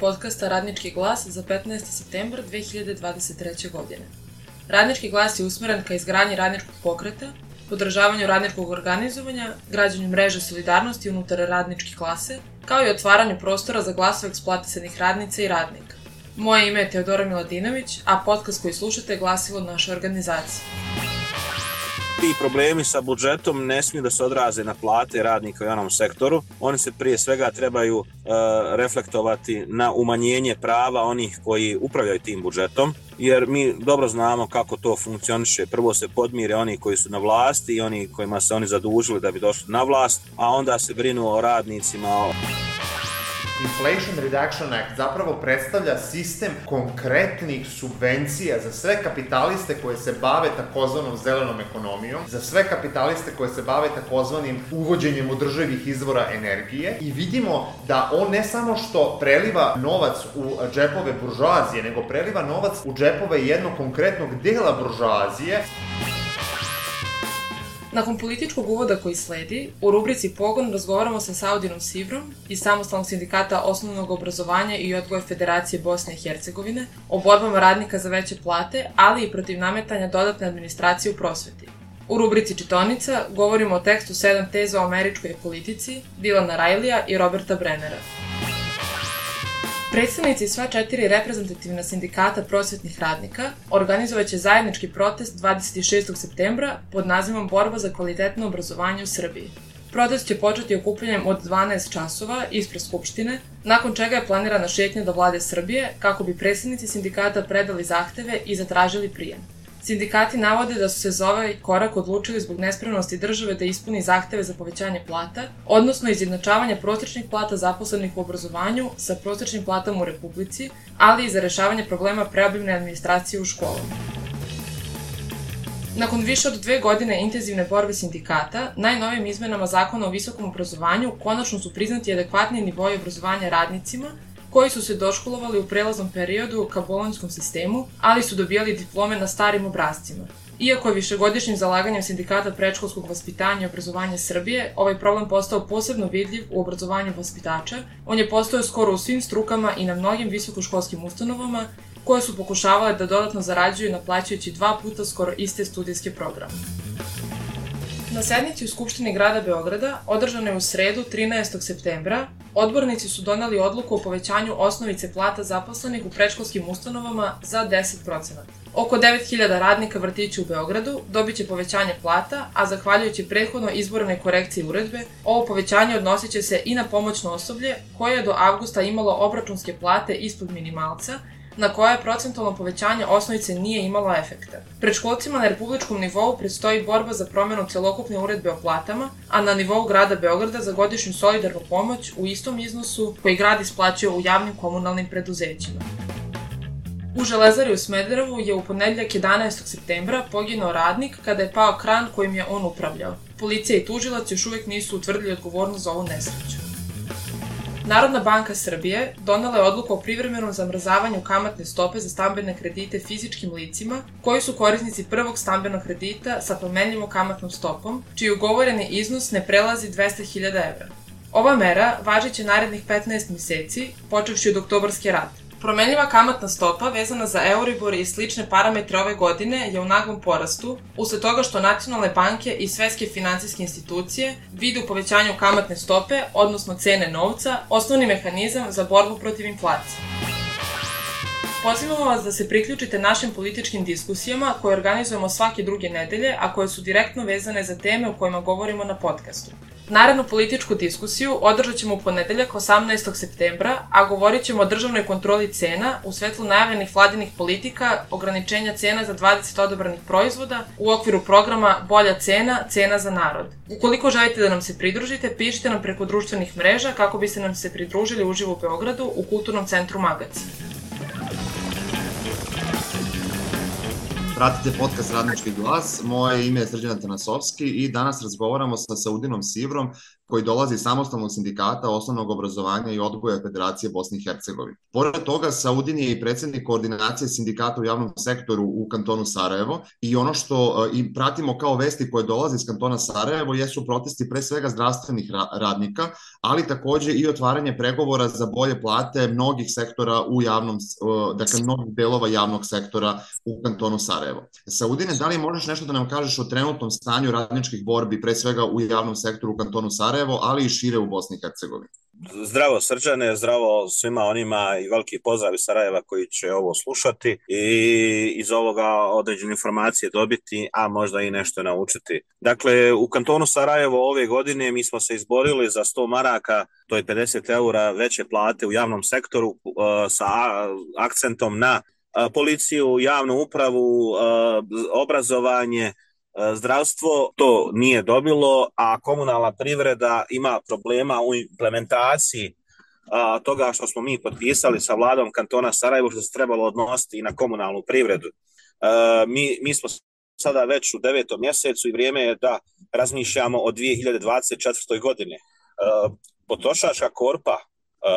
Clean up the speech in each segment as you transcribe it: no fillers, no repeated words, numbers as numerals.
podcasta Radnički glas za 15. septembar 2023. godine. Radnički glas je usmeren ka izgradnji radničkog pokreta, podržavanju radničkog organizovanja, građenju mreže solidarnosti unutar radničke klase, kao i otvaranju prostora za glasove eksploatisanih radnica i radnika. Moje ime je Teodora Miladinović, a podcast koji slušate je glasilo naše organizacije. Ti problemi sa budžetom ne smiju da se odraze na plate radnika u javnom sektoru. Oni se prije svega trebaju reflektovati na umanjenje prava onih koji upravljaju tim budžetom, jer mi dobro znamo kako to funkcioniše. Prvo se podmire oni koji su na vlasti i oni kojima se oni zadužili da bi došli na vlast, a onda se brinu o radnicima. Inflation Reduction Act zapravo predstavlja sistem konkretnih subvencija za sve kapitaliste koje se bave takozvanom zelenom ekonomijom, za sve kapitaliste koje se bave takozvanim uvođenjem održivih izvora energije i vidimo da on ne samo što preliva novac u džepove buržoazije, nego preliva novac u džepove jednog konkretnog dela buržoazije. Nakon političkog uvoda koji sledi, u rubrici Pogon razgovaramo sa Saudinom Sivrom iz Samostalnog sindikata osnovnog obrazovanja i odgoja Federacije Bosne i Hercegovine o borbama radnika za veće plate, ali i protiv nametanja dodatne administracije u prosveti. U rubrici Čitonica govorimo o tekstu 7 teza o američkoj politici Dylana Rileyja i Roberta Brennera. Predstavnici sva 4 reprezentativna sindikata prosvetnih radnika organizovaće zajednički protest 26. septembra pod nazivom Borba za kvalitetno obrazovanje u Srbiji. Protest će početi okupljanjem od 12 časova ispred Skupštine, nakon čega je planirana šetnja do vlade Srbije kako bi predstavnici sindikata predali zahteve i zatražili prijem. Sindikati navode da su se za ovaj korak odlučili zbog nespremnosti države da ispuni zahteve za povećanje plata, odnosno izjednačavanja prosječnih plata zaposlenih u obrazovanju sa prosječnim platama u Republici, ali i za rešavanje problema preobimne administracije u školama. Nakon više od 2 godine intenzivne borbe sindikata, najnovijim izmenama Zakona o visokom obrazovanju konačno su priznati adekvatni nivoi obrazovanja radnicima koji su se doškolovali u prelaznom periodu ka bolonjskom sistemu, ali su dobijali diplome na starim obrascima. Iako je višegodišnjim zalaganjem sindikata predškolskog vaspitanja i obrazovanja Srbije ovaj problem postao posebno vidljiv u obrazovanju vaspitača, on je postojao skoro u svim strukama i na mnogim visokoškolskim ustanovama koje su pokušavale da dodatno zarađuju naplaćujući 2 puta skoro iste studijske programe. Na sednici u Skupštini grada Beograda, održane u sredu 13. septembra, odbornici su doneli odluku o povećanju osnovice plata zaposlenih u predškolskim ustanovama za 10%. Oko 9.000 radnika vrtića u Beogradu dobit će povećanje plata, a zahvaljujući prethodno izbornoj korekciji uredbe, ovo povećanje odnosit će se i na pomoćno osoblje koje je do avgusta imalo obračunske plate ispod minimalca, na koje procentualno povećanje osnovice nije imalo efekta. Predškolcima na republičkom nivou predstoji borba za promjenu celokupne uredbe o platama, a na nivou grada Beograda za godišnju solidarnu pomoć u istom iznosu koji grad isplaćuje u javnim komunalnim preduzećima. U Železari u Smederevu je u ponedjeljak 11. septembra poginuo radnik kada je pao kran kojim je on upravljao. Policija i tužilac još uvijek nisu utvrdili odgovornost za ovu nesreću. Narodna banka Srbije donela je odluku o privremenom zamrzavanju kamatne stope za stambene kredite fizičkim licima koji su korisnici prvog stambenog kredita sa promenljivom kamatnom stopom, čiji ugovoreni iznos ne prelazi 200.000 evra. Ova mera važiće narednih 15 mjeseci, počevši od oktobarske rate. Promenljiva kamatna stopa vezana za Euribor i slične parametre ove godine je u naglom porastu, usled toga što nacionalne banke i svetske finansijske institucije vide u povećanju kamatne stope, odnosno cene novca, osnovni mehanizam za borbu protiv inflacije. Pozivamo vas da se priključite našim političkim diskusijama koje organizujemo svake druge nedelje, a koje su direktno vezane za teme o kojima govorimo na podcastu. Narednu političku diskusiju održat ćemo u ponedeljak 18. septembra, a govorit ćemo o državnoj kontroli cena u svetlu najavljenih vladinih politika, ograničenja cena za 20 odabranih proizvoda u okviru programa Bolja cena, cena za narod. Ukoliko želite da nam se pridružite, pišite nam preko društvenih mreža kako biste nam se pridružili uživo u Beogradu u Kulturnom centru Magac. Pratite podcast Radnički glas, moje ime je Srđan Tanasovski i danas razgovaramo sa Saudinom Sivrom koji dolazi iz samostalnog sindikata osnovnog obrazovanja i odgoja Federacije Bosne i Hercegovine. Pored toga, Saudin je i predsjednik koordinacije sindikata u javnom sektoru u kantonu Sarajevo i ono što i pratimo kao vesti koje dolaze iz kantona Sarajevo jesu protesti pre svega zdravstvenih radnika, ali takođe i otvaranje pregovora za bolje plate mnogih sektora u javnom, dakle mnogih delova javnog sektora u kantonu Sarajevo. Saudine, da li možeš nešto da nam kažeš o trenutnom stanju radničkih borbi, pre svega u javnom sektoru u kantonu Sarajevo, ali i šire u Bosni i Hercegovini? Zdravo Srđane, zdravo svima onima i veliki pozdrav iz Sarajeva koji će ovo slušati i iz ovoga određene informacije dobiti, a možda i nešto naučiti. Dakle, u kantonu Sarajevo ove godine mi smo se izborili za 100 maraka, to je 50 eura veće plate u javnom sektoru sa akcentom na policiju, javnu upravu, obrazovanje, zdravstvo to nije dobilo, a komunalna privreda ima problema u implementaciji toga što smo mi potpisali sa vladom kantona Sarajevo, što se trebalo odnositi i na komunalnu privredu. Mi smo sada već u 9. mjesecu i vrijeme je da razmišljamo o 2024. godine. Potrošačka korpa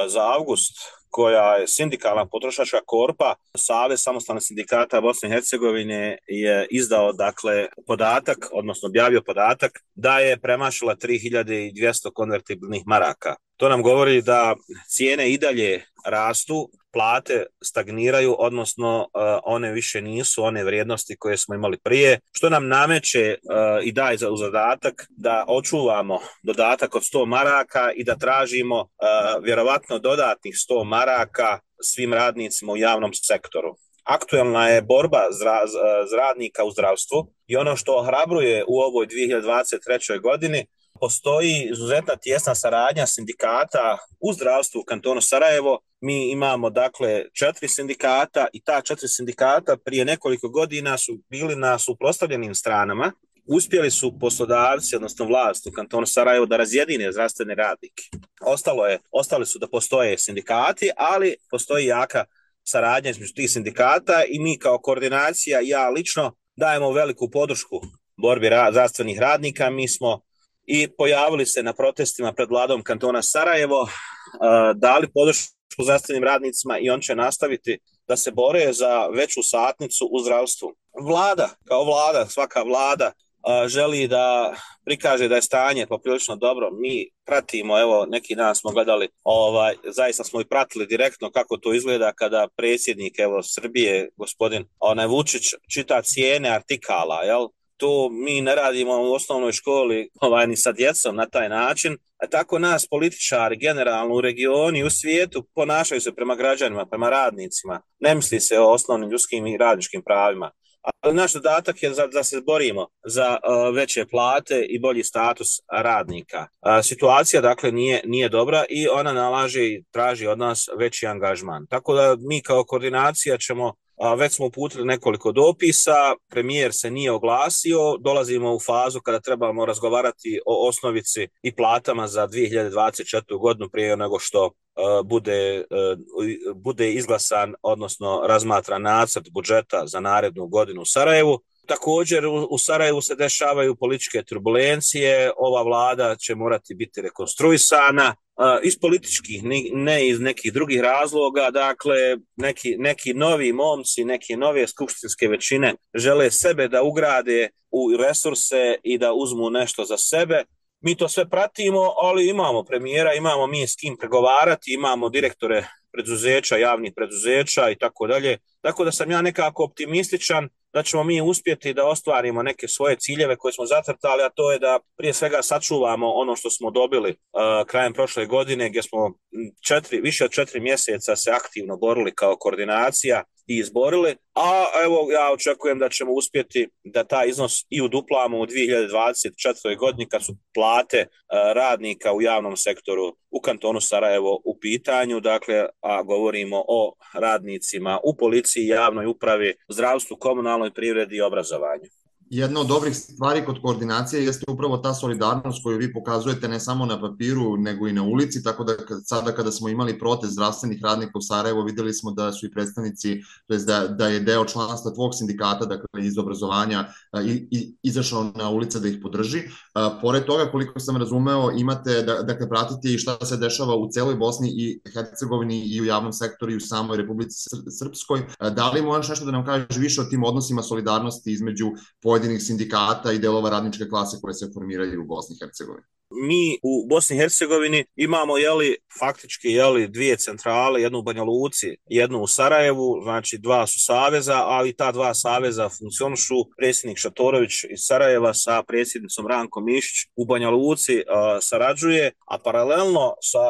za avgust, koja je sindikalna potrošačka korpa, Savez samostalnih sindikata Bosne i Hercegovine je izdao dakle podatak, odnosno objavio podatak da je premašila 3200 konvertibilnih maraka. To nam govori da cijene i dalje rastu, plate stagniraju, odnosno one više nisu one vrijednosti koje smo imali prije, što nam nameće i daje u zadatak da očuvamo dodatak od 100 maraka i da tražimo vjerovatno dodatnih 100 maraka svim radnicima u javnom sektoru. Aktuelna je borba radnika u zdravstvu i ono što ohrabruje u ovoj 2023. godini, postoji izuzetna tijesna saradnja sindikata u zdravstvu u kantonu Sarajevo. Mi imamo dakle 4 sindikata i ta 4 sindikata prije nekoliko godina su bili na suprotstavljenim stranama. Uspjeli su poslodavci, odnosno vlast u kantonu Sarajevo da razjedine zdravstvene radnike. Ostali su da postoje sindikati, ali postoji jaka saradnja između tih sindikata i mi kao koordinacija, ja lično, dajemo veliku podršku borbi zdravstvenih radnika. Mi smo i pojavili se na protestima pred vladom kantona Sarajevo, dali podršku zdravstvenim radnicima i on će nastaviti da se bore za veću satnicu u zdravstvu. Vlada, kao vlada, svaka vlada želi da prikaže da je stanje poprilično dobro. Mi pratimo, evo neki dan smo gledali, zaista smo i pratili direktno kako to izgleda kada predsjednik Srbije, gospodin Vučić, čita cijene artikala, jel? To mi ne radimo u osnovnoj školi ni sa djecom na taj način, a tako nas političari generalno u regionu i u svijetu ponašaju se prema građanima, prema radnicima. Ne misli se o osnovnim ljudskim i radničkim pravima. Ali naš zadatak je da se borimo za veće plate i bolji status radnika. Situacija dakle nije dobra i ona nalaže i traži od nas veći angažman. Tako da mi kao koordinacija već smo uputili nekoliko dopisa, premijer se nije oglasio, dolazimo u fazu kada trebamo razgovarati o osnovici i platama za 2024. godinu prije nego što bude izglasan, odnosno razmatran nacrt budžeta za narednu godinu u Sarajevu. Također u Sarajevu se dešavaju političke turbulencije, ova vlada će morati biti rekonstruisana iz političkih, ne iz nekih drugih razloga. Dakle, neki novi momci, neke nove skupštinske većine žele sebe da ugrade u resurse i da uzmu nešto za sebe. Mi to sve pratimo, ali imamo premijera, imamo mi s kim pregovarati, imamo direktore preduzeća, javnih preduzeća i tako dalje. Tako da sam ja nekako optimističan da ćemo mi uspjeti da ostvarimo neke svoje ciljeve koje smo zacrtali, a to je da prije svega sačuvamo ono što smo dobili krajem prošle godine, gdje smo više od 4 mjeseca se aktivno borili kao koordinacija i izborili, a evo ja očekujem da ćemo uspjeti da taj iznos i uduplamo u 2024. godini kad su plate radnika u javnom sektoru u kantonu Sarajevo u pitanju, dakle, a govorimo o radnicima u policiji, javnoj upravi, zdravstvu, komunalnoj privredi i obrazovanju. Jedna od dobrih stvari kod koordinacije jeste upravo ta solidarnost koju vi pokazujete ne samo na papiru, nego i na ulici, tako da sada kada smo imali protest zdravstvenih radnika u Sarajevo, videli smo da su i predstavnici, to jest da je deo članstva tvog sindikata, dakle iz obrazovanja, izašao na ulice da ih podrži. Pored toga, koliko sam razumeo, imate, dakle, pratite i šta se dešava u celoj Bosni i Hercegovini i u javnom sektoru i u samoj Republici Srpskoj. Da li možeš nešto da nam kažeš više o tim odnosima solidarnosti između pojedinih sindikata i delova radničke klase koje se formiraju u Bosni i Hercegovini? Mi u Bosni i Hercegovini imamo faktički dvije centrale, jednu u Banja Luci, jednu u Sarajevu, znači dva su saveza, ali ta dva saveza funkcionišu. Predsjednik Šatorović iz Sarajeva sa predsjednicom Rankom Mišić u Banja Luci sarađuje, a paralelno sa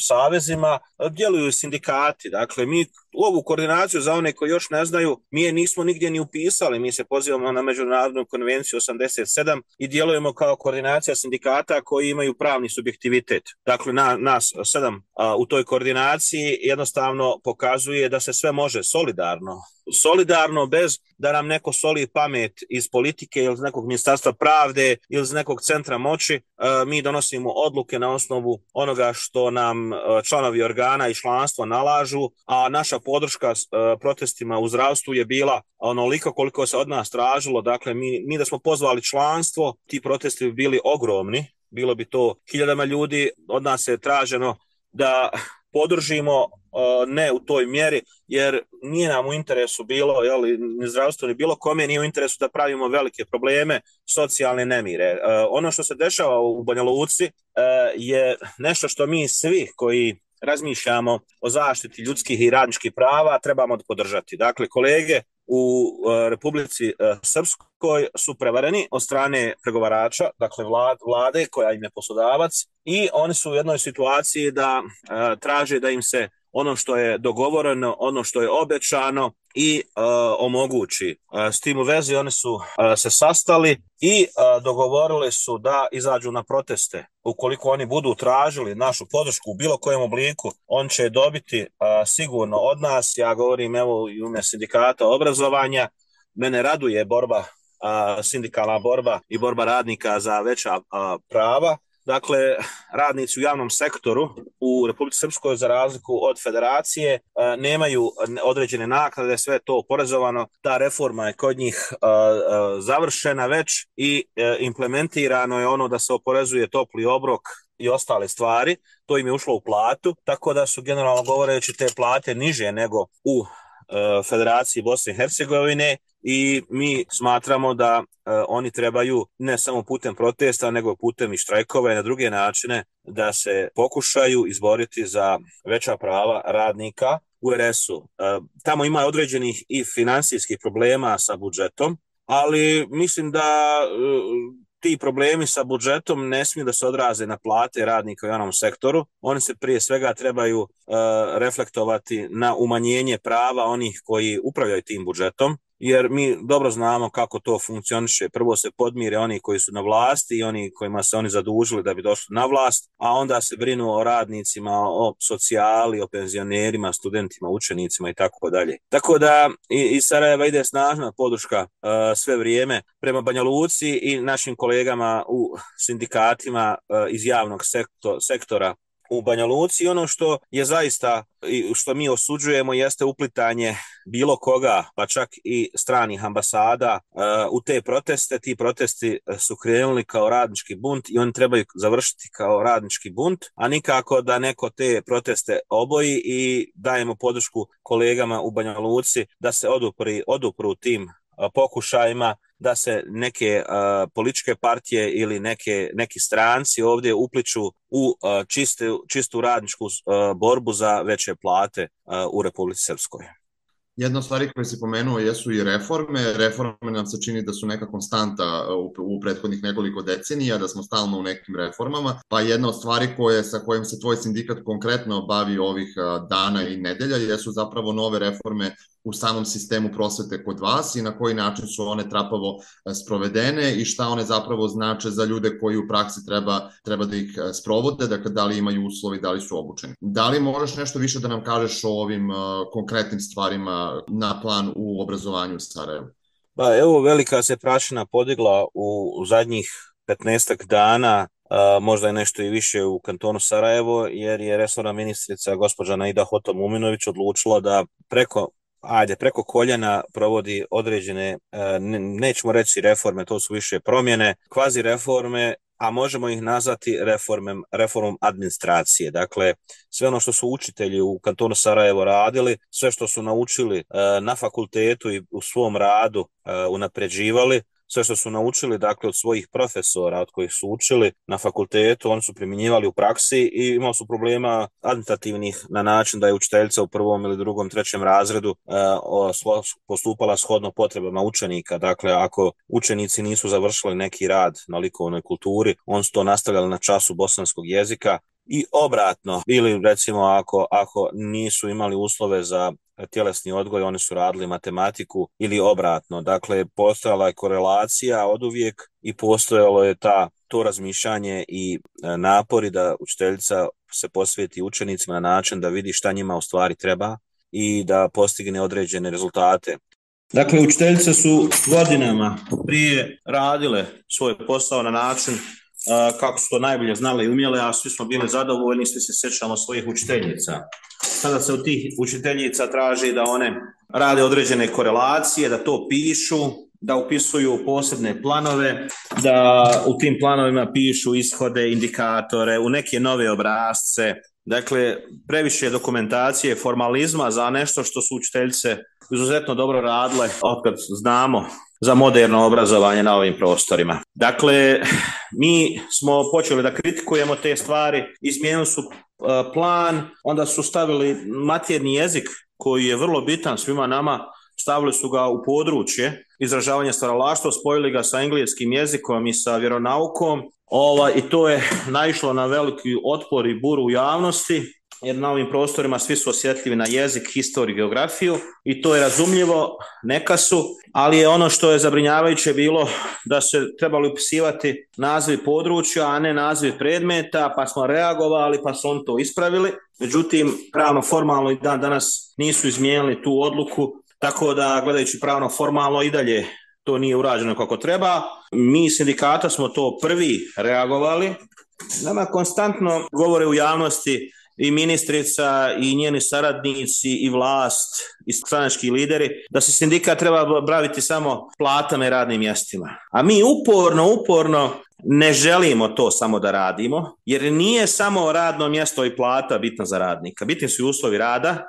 savezima djeluju sindikati. Dakle, mi ovu koordinaciju, za one koji još ne znaju, mi je nismo nigdje ni upisali, mi se pozivamo na Međunarodnu konvenciju 87 i djelujemo kao koordinacija sindikata koji imaju pravni subjektivitet. Dakle, nas 7 u toj koordinaciji jednostavno pokazuje da se sve može solidarno bez da nam neko soli pamet iz politike ili iz nekog ministarstva pravde ili iz nekog centra moći. Mi donosimo odluke na osnovu onoga što nam članovi organa i članstva nalažu, a naša podrška protestima u zdravstvu je bila onoliko koliko se od nas tražilo. Dakle, mi da smo pozvali članstvo, ti protesti bi bili ogromni, bilo bi to 1000 ljudi, od nas je traženo da podržimo ne u toj mjeri, jer nije nam u interesu bilo, ni zdravstvo, ni bilo kome nije u interesu da pravimo velike probleme, socijalne nemire. Ono što se dešava u Banja Luci je nešto što mi svi koji razmišljamo o zaštiti ljudskih i radničkih prava trebamo podržati. Dakle, kolege u Republici Srpskoj su prevareni od strane pregovarača, dakle vlade koja im je poslodavac, i oni su u jednoj situaciji da traže da im se ono što je dogovoreno, ono što je obećano i omogući. S tim u vezi oni su se sastali i dogovorili su da izađu na proteste. Ukoliko oni budu tražili našu podršku u bilo kojem obliku, on će dobiti sigurno od nas. Ja govorim evo i u ime sindikata obrazovanja. Mene raduje borba, sindikalna borba i borba radnika za veća prava. Dakle, radnici u javnom sektoru u Republici Srpskoj, za razliku od federacije, nemaju određene naknade, sve je to oporezovano. Ta reforma je kod njih završena već i implementirano je ono da se oporezuje topli obrok i ostale stvari. To im je ušlo u platu, tako da su generalno govoreći te plate niže nego u Federaciji Bosne i Hercegovine, i mi smatramo da oni trebaju ne samo putem protesta, nego putem i štrajkova i na druge načine da se pokušaju izboriti za veća prava radnika u RS-u. Tamo ima određenih i finansijskih problema sa budžetom, ali mislim da ti problemi sa budžetom ne smiju da se odraze na plate radnika u javnom sektoru. Oni se prije svega trebaju reflektovati na umanjenje prava onih koji upravljaju tim budžetom, jer mi dobro znamo kako to funkcioniše. Prvo se podmire oni koji su na vlasti i oni kojima se oni zadužili da bi došli na vlast, a onda se brinu o radnicima, o socijali, o penzionerima, studentima, učenicima i tako dalje. Tako da iz Sarajeva ide snažna podrška sve vrijeme prema Banja Luci i našim kolegama u sindikatima iz javnog sektora u Banja Luci. Ono što je zaista, što mi osuđujemo, jeste uplitanje bilo koga, pa čak i stranih ambasada u te proteste. Ti protesti su krenuli kao radnički bunt i oni trebaju završiti kao radnički bunt, a nikako da neko te proteste oboji, i dajemo podršku kolegama u Banja Luci da se odupru tim pokušajima da se neke političke partije ili neki stranci ovdje upliču u čistu radničku borbu za veće plate u Republici Srpskoj. Jedna od stvari koje si pomenuo jesu i reforme. Reforme nam se čini da su neka konstanta u prethodnih nekoliko decenija, da smo stalno u nekim reformama. Pa jedna od stvari sa kojim se tvoj sindikat konkretno bavi ovih dana i nedelja jesu zapravo nove reforme u samom sistemu prosvete kod vas i na koji način su one trapavo sprovedene i šta one zapravo znače za ljude koji u praksi treba da ih sprovode, dakle da li imaju uslovi, da li su obučeni. Da li možeš nešto više da nam kažeš o ovim konkretnim stvarima na plan u obrazovanju u Sarajevu? Pa evo, velika se prašina podigla u zadnjih 15 dana, možda je nešto i više u kantonu Sarajevo, jer je resorna ministrica gospođa Naida Hoto-Muminović odlučila da preko koljena provodi određene, nećemo reći reforme, to su više promjene, kvazi reforme, a možemo ih nazvati reformom administracije. Dakle, sve ono što su učitelji u kantonu Sarajevo radili, sve što su naučili na fakultetu i u svom radu unapređivali, sve što su naučili, dakle, od svojih profesora, od kojih su učili na fakultetu, oni su primjenjivali u praksi i imali su problema administrativnih na način da je učiteljica u prvom ili drugom, trećem razredu postupala shodno potrebama učenika. Dakle, ako učenici nisu završili neki rad na likovnoj kulturi, oni su to nastavljali na času bosanskog jezika, i obratno, ili recimo ako nisu imali uslove za tjelesni odgoj, oni su radili matematiku, ili obratno. Dakle, postojala je korelacija oduvijek i postojalo je to razmišljanje i napori da učiteljica se posveti učenicima na način da vidi šta njima u stvari treba i da postigne određene rezultate. Dakle, učiteljice su godinama prije radile svoj posao na način kako su to najbolje znali i umjele, a svi smo bili zadovoljni, svi se sjećamo svojih učiteljica. Sada se od tih učiteljica traži da one rade određene korelacije, da to pišu, da upisuju posebne planove, da u tim planovima pišu ishode, indikatore, u neke nove obrasce. Dakle, previše dokumentacije, formalizma za nešto što su učiteljice izuzetno dobro radile otkad znamo za moderno obrazovanje na ovim prostorima. Dakle, mi smo počeli da kritikujemo te stvari, izmijenili su plan, onda su stavili maternji jezik koji je vrlo bitan svima nama, stavili su ga u područje izražavanja stvaralaštva, spojili ga sa engleskim jezikom i sa vjeronaukom, i to je naišlo na veliki otpor i buru u javnosti, jer na ovim prostorima svi su osjetljivi na jezik, historiju, geografiju i to je razumljivo, neka su, ali je ono što je zabrinjavajuće bilo da se trebali upisivati nazivi područja, a ne nazivi predmeta, pa smo reagovali, pa su oni to ispravili. Međutim, pravno formalno i dan danas nisu izmijenili tu odluku, tako da gledajući pravno formalno i dalje to nije urađeno kako treba. Mi sindikata smo to prvi reagovali. Nama konstantno govore u javnosti i ministrica i njeni saradnici i vlast i stranački lideri da se sindikat treba baviti samo platama i radnim mjestima. A mi uporno ne želimo to samo da radimo, jer nije samo radno mjesto i plata bitna za radnika. Bitni su i uslovi rada,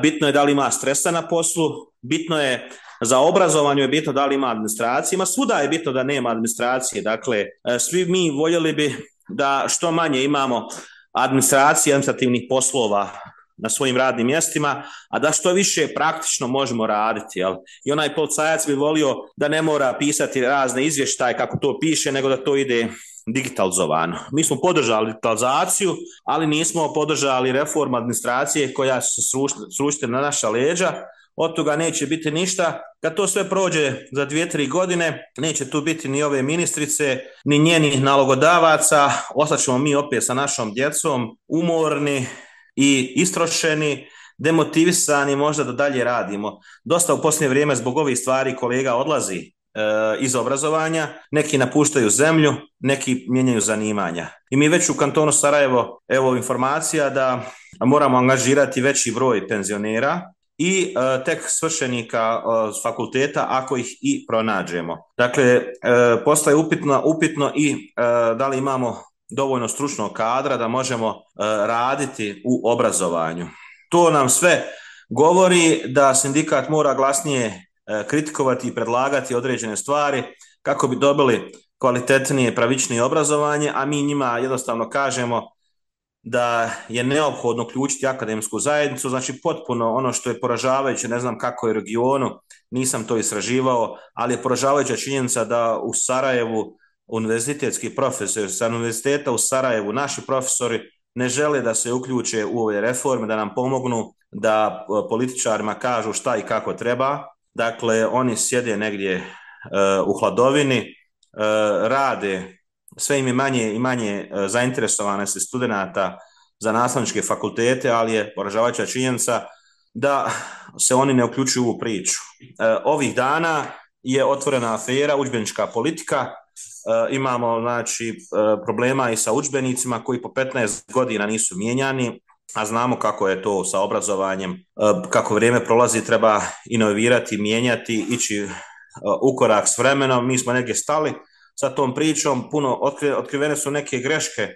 bitno je da li ima stresa na poslu, bitno je za obrazovanje, je bitno da li ima administracije, svuda je bitno da nema administracije. Dakle, svi mi voljeli bi da što manje imamo administracije, administrativnih poslova na svojim radnim mjestima, a da što više praktično možemo raditi. Jel? I onaj policajac bi volio da ne mora pisati razne izvještaje kako to piše, nego da to ide digitalizovano. Mi smo podržali digitalizaciju, ali nismo podržali reformu administracije koja se srušiti na naša leđa. Od toga neće biti ništa. Kad to sve prođe za 2-3 godine, neće tu biti ni ove ministrice, ni njenih nalogodavaca. Ostaćemo mi opet sa našom djecom, umorni i istrošeni, demotivisani, možda da dalje radimo. Dosta u posljednje vrijeme zbog ovih stvari kolega odlazi iz obrazovanja, neki napuštaju zemlju, neki mijenjaju zanimanja. I mi već u kantonu Sarajevo, evo informacija da moramo angažirati veći broj penzionera i tek svršenika fakulteta ako ih i pronađemo. Dakle, postaje upitno i da li imamo dovoljno stručnog kadra da možemo raditi u obrazovanju. To nam sve govori da sindikat mora glasnije kritikovati i predlagati određene stvari kako bi dobili kvalitetnije, pravičnije obrazovanje, a mi njima jednostavno kažemo da je neophodno uključiti akademsku zajednicu, znači potpuno ono što je poražavajuće, ne znam kako je u regionu, nisam to istraživao, ali je poražavajuća činjenica da u Sarajevu univerzitetski profesori sa univerziteta u Sarajevu, naši profesori ne žele da se uključe u ove reforme, da nam pomognu, da političarima kažu šta i kako treba. Dakle, oni sjede negdje u hladovini, rade, sve im je manje i manje zainteresovanosti studenata za nastavničke fakultete, ali je poražavajuća činjenica da se oni ne uključuju u priču. Ovih dana je otvorena afera, udžbenička politika. Imamo znači problema i sa udžbenicima koji po 15 godina nisu mijenjani, a znamo kako je to sa obrazovanjem, kako vrijeme prolazi, treba inovirati, mijenjati, ići u korak s vremenom. Mi smo negdje stali sa tom pričom, puno otkrivene su neke greške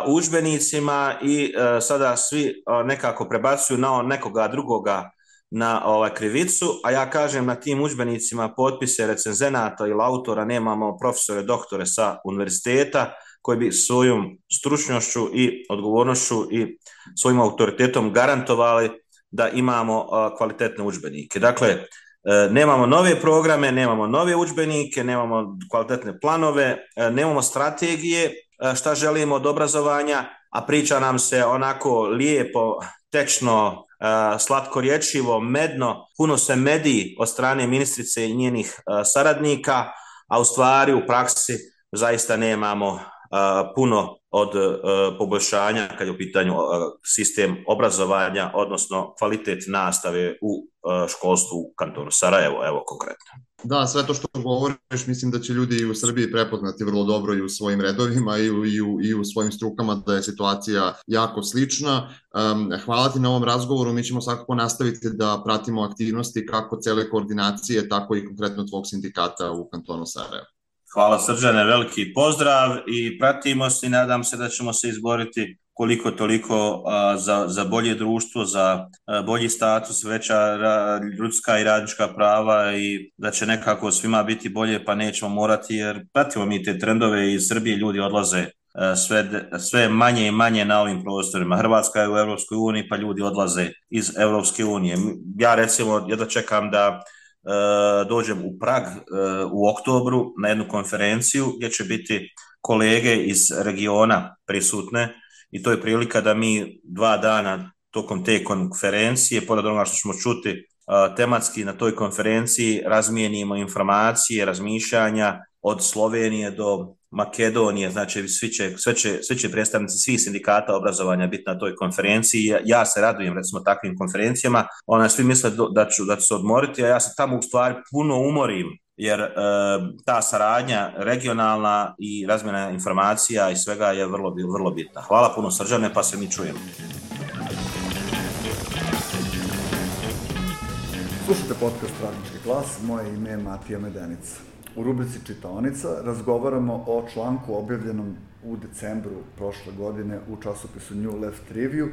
u udžbenicima i sada svi nekako prebacuju na nekoga drugoga na krivicu, a ja kažem na tim udžbenicima potpise recenzenata ili autora nemamo profesore, doktore sa univerziteta koji bi svojom stručnošću i odgovornošću i svojim autoritetom garantovali da imamo kvalitetne udžbenike. Dakle, nemamo nove programe, nemamo nove udžbenike, nemamo kvalitetne planove, nemamo strategije šta želimo od obrazovanja, a priča nam se onako lijepo, tečno, slatkorječivo, medno, puno se medi od strane ministrice i njenih saradnika, a u stvari u praksi zaista nemamo puno od poboljšanja kad je u pitanju sistem obrazovanja, odnosno kvalitet nastave u školstvu u kantonu Sarajevo, evo konkretno. Da, sve to što govoriš, mislim da će ljudi u Srbiji prepoznati vrlo dobro i u svojim redovima i u svojim strukama da je situacija jako slična. Hvala ti na ovom razgovoru, mi ćemo svakako nastaviti da pratimo aktivnosti kako cele koordinacije, tako i konkretno tvog sindikata u kantonu Sarajevo. Hvala Srđane, veliki pozdrav i pratimo se i nadam se da ćemo se izboriti koliko toliko za bolje društvo, za bolji status, veća ljudska i radnička prava i da će nekako svima biti bolje pa nećemo morati jer pratimo mi te trendove iz Srbije, ljudi odlaze sve manje i manje na ovim prostorima. Hrvatska je u Europskoj uniji pa ljudi odlaze iz Europske unije. Ja recimo jedva čekam da dođem u Prag u oktobru na jednu konferenciju gdje će biti kolege iz regiona prisutne i to je prilika da mi 2 dana tokom te konferencije, pored onoga što ćemo čuti tematski na toj konferenciji, razmijenimo informacije, razmišljanja od Slovenije do Makedonije, znači svi će predstavnici svih sindikata obrazovanja biti na toj konferenciji. Ja se radujem recimo takvim konferencijama, svi misle da ću se odmoriti, a ja se tamo u stvari puno umorim, jer ta saradnja regionalna i razmjena informacija i svega je vrlo bitna. Hvala puno Srđane, pa se mi čujemo. Slušajte podcast Radnički glas, moje ime je Matija Medenica. U rubrici Čitaonica razgovaramo o članku objavljenom u decembru prošle godine u časopisu New Left Review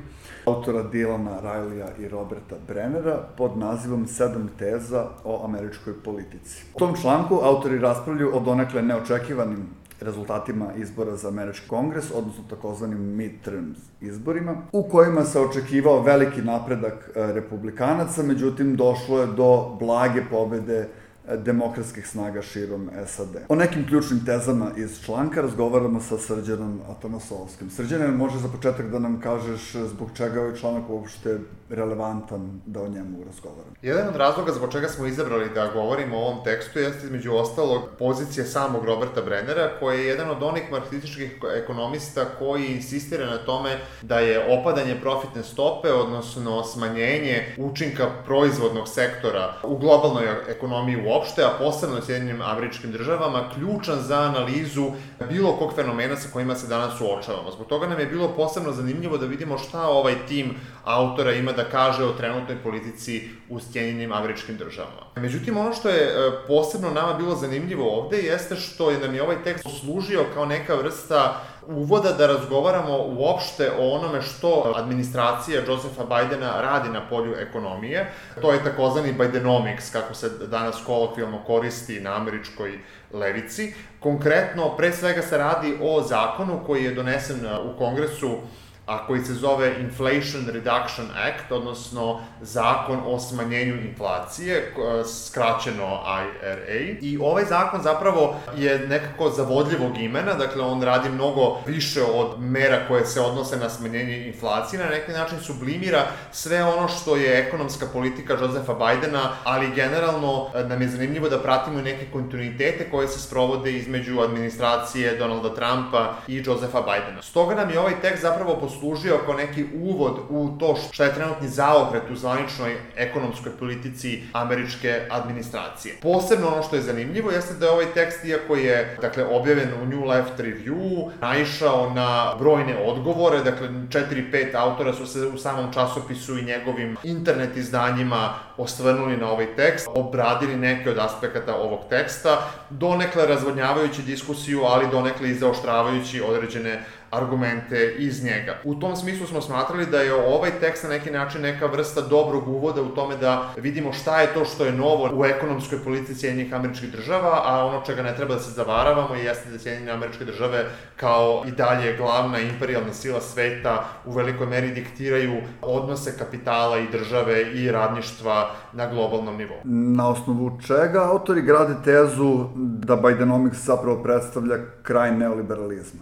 autora Dylana Rileya i Roberta Brennera pod nazivom 7 teza o američkoj politici. U tom članku autori raspravljaju o donekle neočekivanim rezultatima izbora za američki kongres, odnosno takozvanim midterms izborima, u kojima se očekivao veliki napredak republikanaca, međutim došlo je do blage pobede demokratskih snaga širom SAD. O nekim ključnim tezama iz članka razgovaramo sa Srđanom Atanasovskim. Srđane, može za početak da nam kažeš zbog čega je ovaj članak uopšte relevantan da o njemu razgovaramo? Jedan od razloga zbog čega smo izabrali da govorimo o ovom tekstu jeste između ostalog pozicije samog Roberta Brennera, koji je jedan od onih marksističkih ekonomista koji insistira na tome da je opadanje profitne stope, odnosno smanjenje učinka proizvodnog sektora u globalnoj ekonomiji uopšte, a posebno u Sjedinjenim Američkim Državama, ključan za analizu bilo kog fenomena sa kojima se danas suočavamo. Zbog toga nam je bilo posebno zanimljivo da vidimo šta ovaj tim autora ima da kaže o trenutnoj politici u Sjedinjenim Američkim Državama. Međutim, ono što je posebno nama bilo zanimljivo ovde jeste što je nam je ovaj tekst služio kao neka vrsta uvoda da razgovaramo uopšte o onome što administracija Josepha Bidena radi na polju ekonomije. To je takozvani Bidenomics, kako se danas kolokvijalno koristi na američkoj levici. Konkretno, pre svega se radi o zakonu koji je donesen u Kongresu, a koji se zove Inflation Reduction Act, odnosno Zakon o smanjenju inflacije, skraćeno IRA. I ovaj zakon zapravo je nekako zavodljivog imena, dakle on radi mnogo više od mera koje se odnose na smanjenje inflacije, na neki način sublimira sve ono što je ekonomska politika Josepha Bidena, ali generalno nam je zanimljivo da pratimo i neke kontinuitete koje se sprovode između administracije Donalda Trumpa i Josepha Bidena. Stoga nam je ovaj tekst zapravo poslužio kao neki uvod u to šta je trenutni zaokret u zvaničnoj ekonomskoj politici američke administracije. Posebno ono što je zanimljivo jeste da je ovaj tekst, iako je objavljen u New Left Review, naišao na brojne odgovore, 4-5 autora su se u samom časopisu i njegovim internet izdanjima osvrnuli na ovaj tekst, obradili neke od aspekata ovog teksta, donekle razvodnjavajući diskusiju, ali donekle i zaoštravajući određene argumente iz njega. U tom smislu smo smatrali da je ovaj tekst na neki način neka vrsta dobrog uvoda u tome da vidimo šta je to što je novo u ekonomskoj politici Sjedinjenih Američkih Država, a ono čega ne treba da se zavaravamo jeste da Sjedinjene Američke Države kao i dalje glavna imperijalna sila sveta u velikoj meri diktiraju odnose kapitala i države i radništva na globalnom nivou. Na osnovu čega autori grade tezu da Bidenomics zapravo predstavlja kraj neoliberalizma?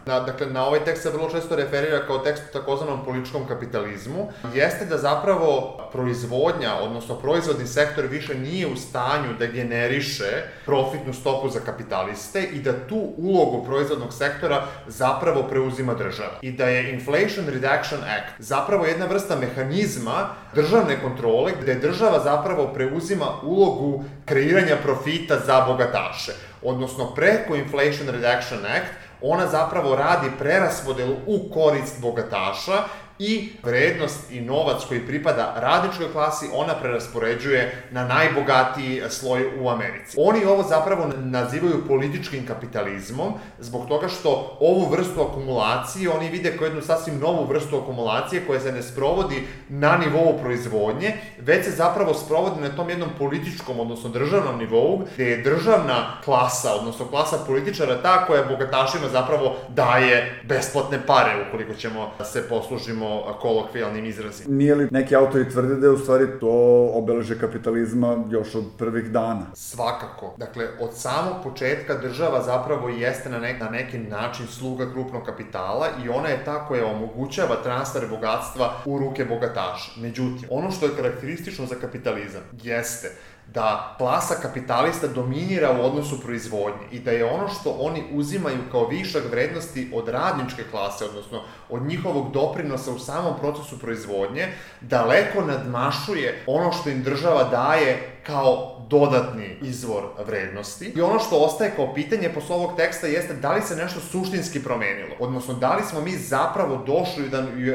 Na ovaj tekst se vrlo često referira kao tekst u takozvanom političkom kapitalizmu, jeste da zapravo proizvodnja, odnosno proizvodni sektor više nije u stanju da generiše profitnu stopu za kapitaliste i da tu ulogu proizvodnog sektora zapravo preuzima država. I da je Inflation Reduction Act zapravo jedna vrsta mehanizma državne kontrole gde država zapravo preuzima ulogu kreiranja profita za bogataše. Odnosno preko Inflation Reduction Act ona zapravo radi preraspodelu u korist bogataša i vrednost i novac koji pripada radničkoj klasi ona preraspoređuje na najbogatiji sloj u Americi. Oni ovo zapravo nazivaju političkim kapitalizmom zbog toga što ovu vrstu akumulacije oni vide kao jednu sasvim novu vrstu akumulacije koja se ne sprovodi na nivou proizvodnje, već se zapravo sprovodi na tom jednom političkom, odnosno državnom nivou, gde je državna klasa, odnosno klasa političara ta koja bogatašima zapravo daje besplatne pare, ukoliko ćemo se poslužimo kolokvijalnim izrazima. Nije li neki autori tvrde da je u stvari to obeležje kapitalizma još od prvih dana? Svakako. Od samog početka država zapravo jeste na neki način sluga krupnog kapitala i ona je ta koja omogućava transfer bogatstva u ruke bogataša. Međutim, ono što je karakteristično za kapitalizam jeste da klasa kapitalista dominira u odnosu proizvodnje i da je ono što oni uzimaju kao višak vrednosti od radničke klase, odnosno od njihovog doprinosa u samom procesu proizvodnje, daleko nadmašuje ono što im država daje kao dodatni izvor vrednosti. I ono što ostaje kao pitanje posle ovog teksta jeste da li se nešto suštinski promenilo, odnosno da li smo mi zapravo došli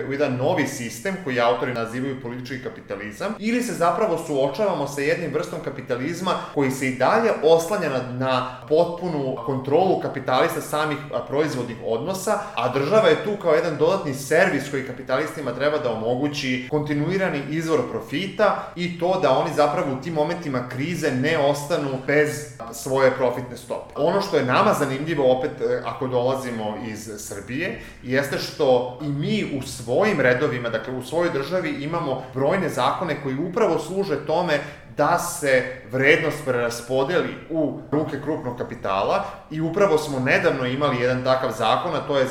u jedan novi sistem koji autori nazivaju politički kapitalizam ili se zapravo suočavamo sa jednim vrstom kapitalizma koji se i dalje oslanja na potpunu kontrolu kapitalista samih proizvodnih odnosa, a država je tu kao jedan dodatni servis koji kapitalistima treba da omogući kontinuirani izvor profita i to da oni zapravo u tim momentima krize ne ostanu bez svoje profitne stope. Ono što je nama zanimljivo, opet ako dolazimo iz Srbije, jeste što i mi u svojim redovima, u svojoj državi imamo brojne zakone koji upravo služe tome da se vrednost preraspodeli u ruke krupnog kapitala i upravo smo nedavno imali jedan takav zakon, a to je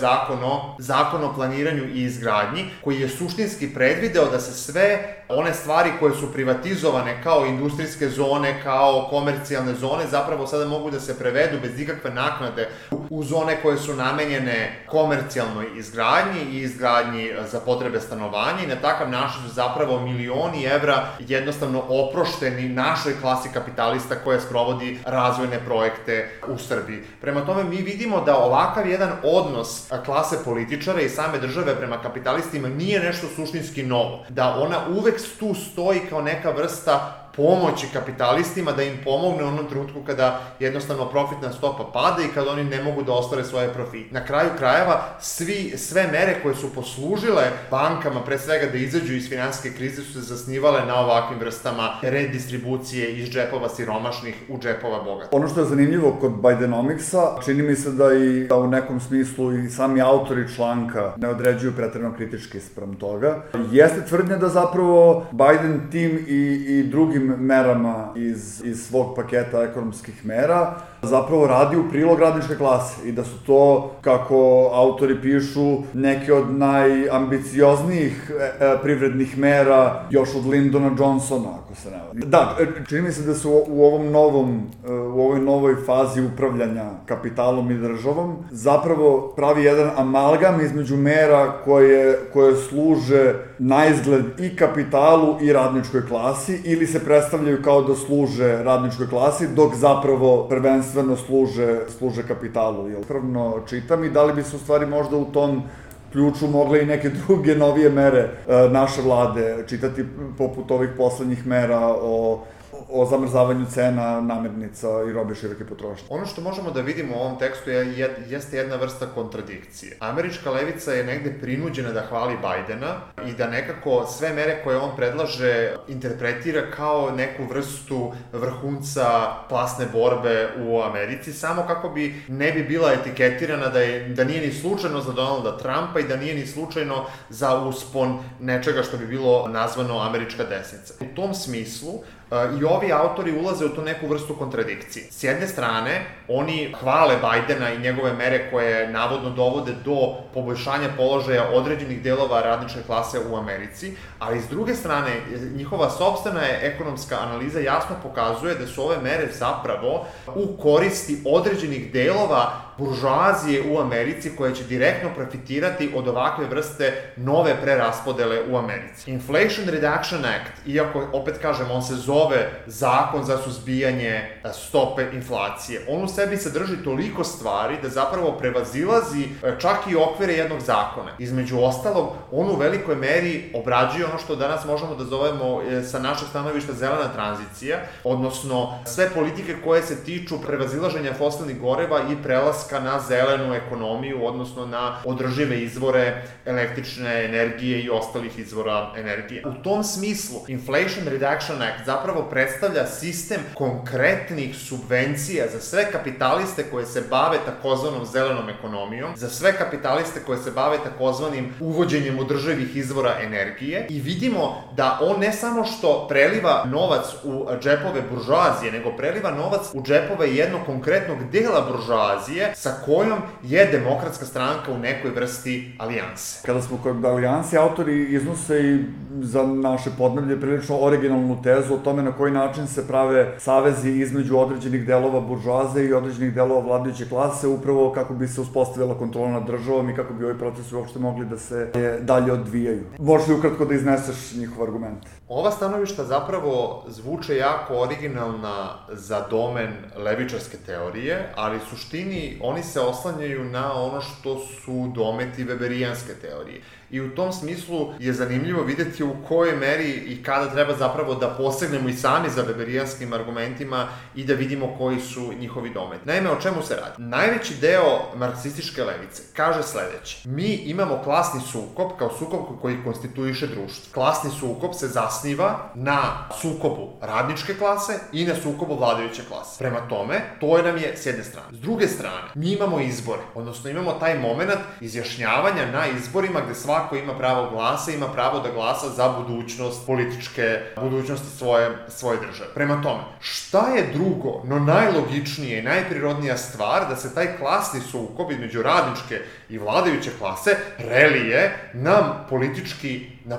zakon o planiranju i izgradnji, koji je suštinski predvideo da se sve one stvari koje su privatizovane kao industrijske zone, kao komercijalne zone, zapravo sada mogu da se prevedu bez ikakve naknade u zone koje su namenjene komercijalnoj izgradnji i izgradnji za potrebe stanovanja i na takav način su zapravo milioni evra jednostavno oprošteni našoj klasi kapitalista koja sprovodi razvojne projekte u Srbiji. Prema tome mi vidimo da ovakav jedan odnos klase političara i same države prema kapitalistima nije nešto suštinski novo. Da ona uvek tu stoji kao neka vrsta pomoći kapitalistima da im pomogne u onom trenutku kada jednostavno profitna stopa pada i kada oni ne mogu da ostvare svoje profite. Na kraju krajeva, sve mere koje su poslužile bankama, pre svega da izađu iz finansijske krize, su se zasnivale na ovakvim vrstama redistribucije iz džepova siromašnih u džepova bogatih. Ono što je zanimljivo kod Bidenomicsa, čini mi se da i u nekom smislu i sami autori članka ne određuju preterano kritički spram toga, jeste tvrdnja da zapravo Biden tim i drugim merama iz svog paketa ekonomskih mera zapravo radi u prilog radničke klase i da su to, kako autori pišu, neke od najambicioznijih privrednih mera još od Lyndona Johnsona, ako se ne varam. Da, čini mi se da su u ovoj novoj fazi upravljanja kapitalom i državom zapravo pravi jedan amalgam između mera koje služe na izgled i kapitalu i radničkoj klasi ili se predstavljaju kao da služe radničkoj klasi, dok zapravo prvenstveno služe kapitalu. Upravno čitam i da li bi se u stvari možda u tom ključu mogle i neke druge novije mere naše vlade čitati, poput ovih poslednjih mera o zamrzavanju cena namirnica i robe široke potrošnje. Ono što možemo da vidimo u ovom tekstu jeste jedna vrsta kontradikcije. Američka levica je negde prinuđena da hvali Bajdena i da nekako sve mere koje on predlaže interpretira kao neku vrstu vrhunca klasne borbe u Americi, samo kako bi ne bi bila etiketirana da nije ni slučajno za Donalda Trumpa i da nije ni slučajno za uspon nečega što bi bilo nazvano američka desnica. U tom smislu, i ovi autori ulaze u tu neku vrstu kontradikcije. S jedne strane, oni hvale Bajdena i njegove mere koje navodno dovode do poboljšanja položaja određenih delova radničke klase u Americi, ali s druge strane, njihova sopstvena ekonomska analiza jasno pokazuje da su ove mere zapravo u koristi određenih delova buržoazije u Americi koja će direktno profitirati od ovakve vrste nove preraspodele u Americi. Inflation Reduction Act, iako, opet kažem, on se zove Zakon za suzbijanje stope inflacije, on u sebi sadrži toliko stvari da zapravo prevazilazi čak i okvire jednog zakona. Između ostalog, on u velikoj meri obrađuje ono što danas možemo da zovemo sa našeg stanovišta zelena tranzicija, odnosno sve politike koje se tiču prevazilaženja fosilnih goriva i prelaska na zelenu ekonomiju, odnosno na održive izvore električne energije i ostalih izvora energije. U tom smislu, Inflation Reduction Act zapravo predstavlja sistem konkretnih subvencija za sve kapitaliste koje se bave takozvanom zelenom ekonomijom, za sve kapitaliste koje se bave takozvanim uvođenjem održivih izvora energije i vidimo da on ne samo što preliva novac u džepove buržoazije, nego preliva novac u džepove jednog konkretnog dela buržoazije sa kojom je Demokratska stranka u nekoj vrsti alijanse. Kada smo kod alijanse, autori iznose i za naše podneblje prilično originalnu tezu o tome na koji način se prave savezi između određenih delova buržoaze i određenih delova vladajuće klase, upravo kako bi se uspostavila kontrola nad državom i kako bi ovi procesi uopšte mogli da se dalje odvijaju. Možeš li ukratko da izneseš njihov argument? Ova stanovišta zapravo zvuče jako originalna za domen levičarske teorije, ali u suštini oni se oslanjaju na ono što su dometi weberijanske teorije. I u tom smislu je zanimljivo videti u kojoj meri i kada treba zapravo da posegnemo i sami za weberijanskim argumentima i da vidimo koji su njihovi dometi. Naime, o čemu se radi? Najveći deo marksističke levice kaže sledeće. Mi imamo klasni sukob kao sukob koji konstituiše društvo. Klasni sukob se zasniva na sukobu radničke klase i na sukobu vladajuće klase. Prema tome, to nam je s jedne strane. S druge strane, mi imamo izbore, odnosno imamo taj moment izjašnjavanja na izborima gde svako ima pravo glasa, ima pravo da glasa za budućnost budućnosti svoje države. Prema tome, šta je drugo, no najlogičnije i najprirodnija stvar da se taj klasni sukob između radničke i vladajuće klase relije na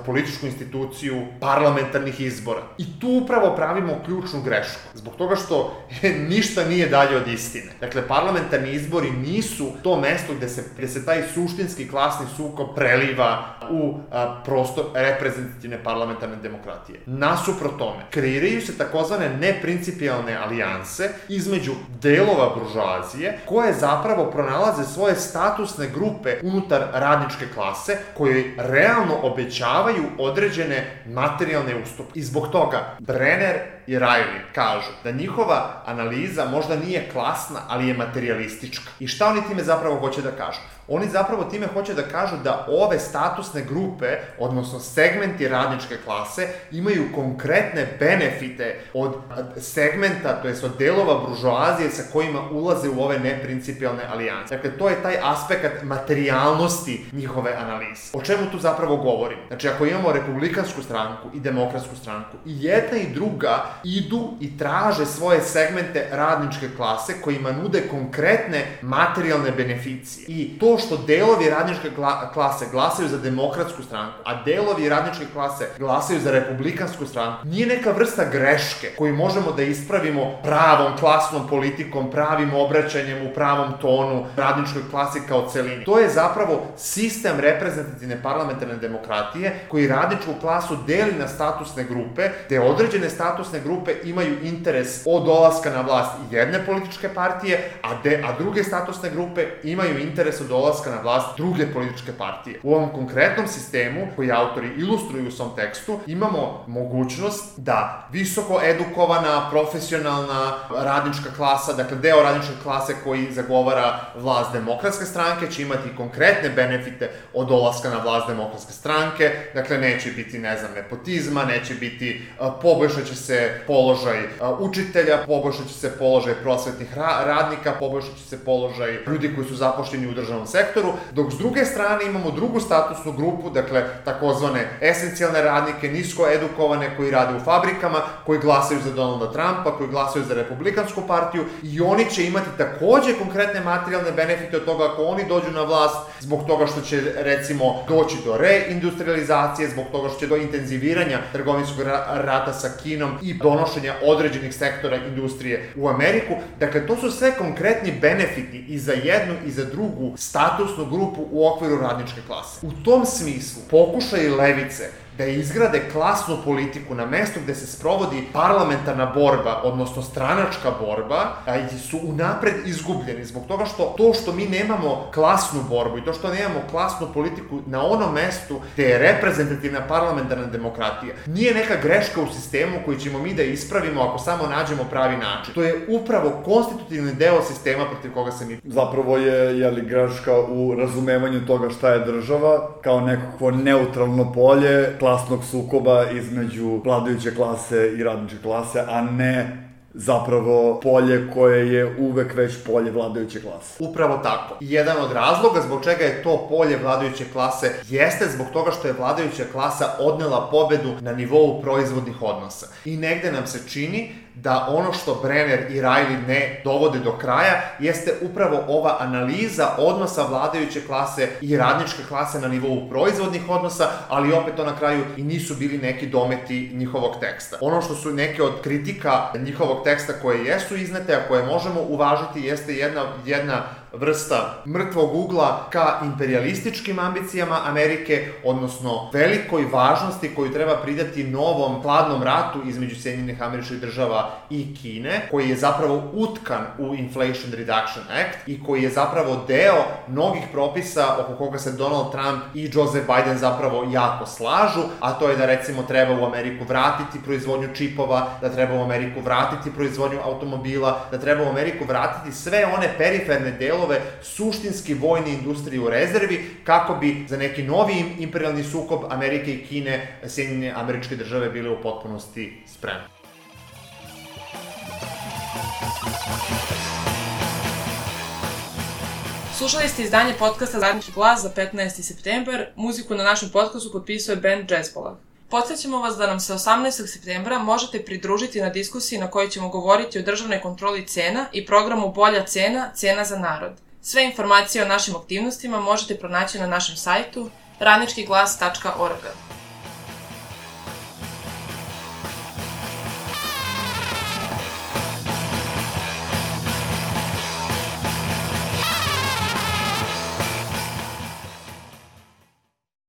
političku instituciju parlamentarnih izbora. I tu upravo pravimo ključnu grešku, zbog toga što ništa nije dalje od istine. Dakle, parlamentarni izbori nisu to mesto gde se taj suštinski klasni sukob preliva u prostor reprezentativne parlamentarne demokratije. Nasuprot tome, kreiraju se takozvane neprincipijalne alijanse između delova buržoazije koje zapravo pronalaze svoje statusne grupe unutar radničke klase koje realno obećavaju određene materijalne ustupke. I zbog toga Brenner i Riley kažu da njihova analiza možda nije klasna, ali je materijalistička. I šta oni time zapravo hoće da kažu? Oni zapravo time hoće da kažu da ove statusne grupe, odnosno segmenti radničke klase, imaju konkretne benefite od segmenta, to jest od delova buržoazije sa kojima ulaze u ove neprincipijalne alijanse. Dakle, to je taj aspekt materijalnosti njihove analize. O čemu tu zapravo govorim? Znači, ako imamo republikansku stranku i demokratsku stranku, i jedna i druga idu i traže svoje segmente radničke klase kojima nude konkretne materijalne beneficije. I to što delovi radničke klase glasaju za Demokratsku stranku, a delovi radničke klase glasaju za Republikansku stranku, nije neka vrsta greške koju možemo da ispravimo pravom klasnom politikom, pravim obraćanjem u pravom tonu radničkoj klasi kao celini. To je zapravo sistem reprezentativne parlamentarne demokratije koji radničku klasu deli na statusne grupe, gde određene statusne grupe imaju interes od dolaska na vlast jedne političke partije, a druge statusne grupe imaju interes od dolaska na vlast druge političke partije. U ovom konkretnom sistemu, koji autori ilustruju u svom tekstu, imamo mogućnost da visoko edukovana, profesionalna radnička klasa, dakle deo radničke klase koji zagovara vlast Demokratske stranke, će imati konkretne benefite od dolaska na vlast Demokratske stranke, dakle neće biti, nepotizma, neće biti, poboljšat će se položaj učitelja, poboljšat će se položaj prosvetnih radnika, poboljšat će se položaj ljudi koji su zapošljeni u državnom sektoru, dok s druge strane imamo drugu statusnu grupu, dakle takozvane esencijalne radnike, nisko edukovane koji rade u fabrikama, koji glasaju za Donalda Trumpa, koji glasaju za Republikansku partiju i oni će imati takođe konkretne materijalne benefite od toga ako oni dođu na vlast, zbog toga što će recimo doći do reindustrializacije, zbog toga što će do intenziviranja trgovinskog rata sa Kinom i donošenja određenih sektora industrije u Ameriku. Dakle, to su sve konkretni benefiti i za jednu i za drugu statusnu grupu u okviru radničke klase. U tom smislu, pokušaj levice da izgrade klasnu politiku na mestu gde se sprovodi parlamentarna borba, odnosno stranačka borba, su unapred izgubljeni zbog toga što mi nemamo klasnu borbu i to što nemamo klasnu politiku na onom mestu gde je reprezentativna parlamentarna demokratija. Nije neka greška u sistemu koju ćemo mi da ispravimo ako samo nađemo pravi način. To je upravo konstitutivni deo sistema protiv koga se mi... Zapravo je greška u razumevanju toga šta je država, kao nekako neutralno polje klasnog sukoba između vladajuće klase i radničke klase, a ne zapravo polje koje je uvek već polje vladajuće klase. Upravo tako. I jedan od razloga zbog čega je to polje vladajuće klase jeste zbog toga što je vladajuća klasa odnela pobedu na nivou proizvodnih odnosa. I negde nam se čini da ono što Brenner i Riley ne dovode do kraja jeste upravo ova analiza odnosa vladajuće klase i radničke klase na nivou proizvodnih odnosa, ali opet to na kraju i nisu bili neki dometi njihovog teksta. Ono što su neke od kritika njihovog teksta koje jesu iznete, a koje možemo uvažiti, jeste jedna vrsta mrtvog ugla ka imperialističkim ambicijama Amerike, odnosno velikoj važnosti koju treba pridati novom hladnom ratu između Sjedinjenih Američkih Država i Kine, koji je zapravo utkan u Inflation Reduction Act i koji je zapravo deo mnogih propisa oko koga se Donald Trump i Joseph Biden zapravo jako slažu, a to je da recimo treba u Ameriku vratiti proizvodnju čipova, da treba u Ameriku vratiti proizvodnju automobila, da treba u Ameriku vratiti sve one periferne delove suštinski vojne industrije u rezervi, kako bi za neki novi imperialni sukob Amerike i Kine Sjedinjene Američke Države bile u potpunosti spremne. Slušali ste izdanje podcasta Radnički glas za 15. septembar. Muziku na našem podcastu potpisuje band Jazzbolag. Podsjećamo vas da nam se 18. septembra možete pridružiti na diskusiji na kojoj ćemo govoriti o državnoj kontroli cena i programu Bolja cena, cena za narod. Sve informacije o našim aktivnostima možete pronaći na našem sajtu radničkiglas.org.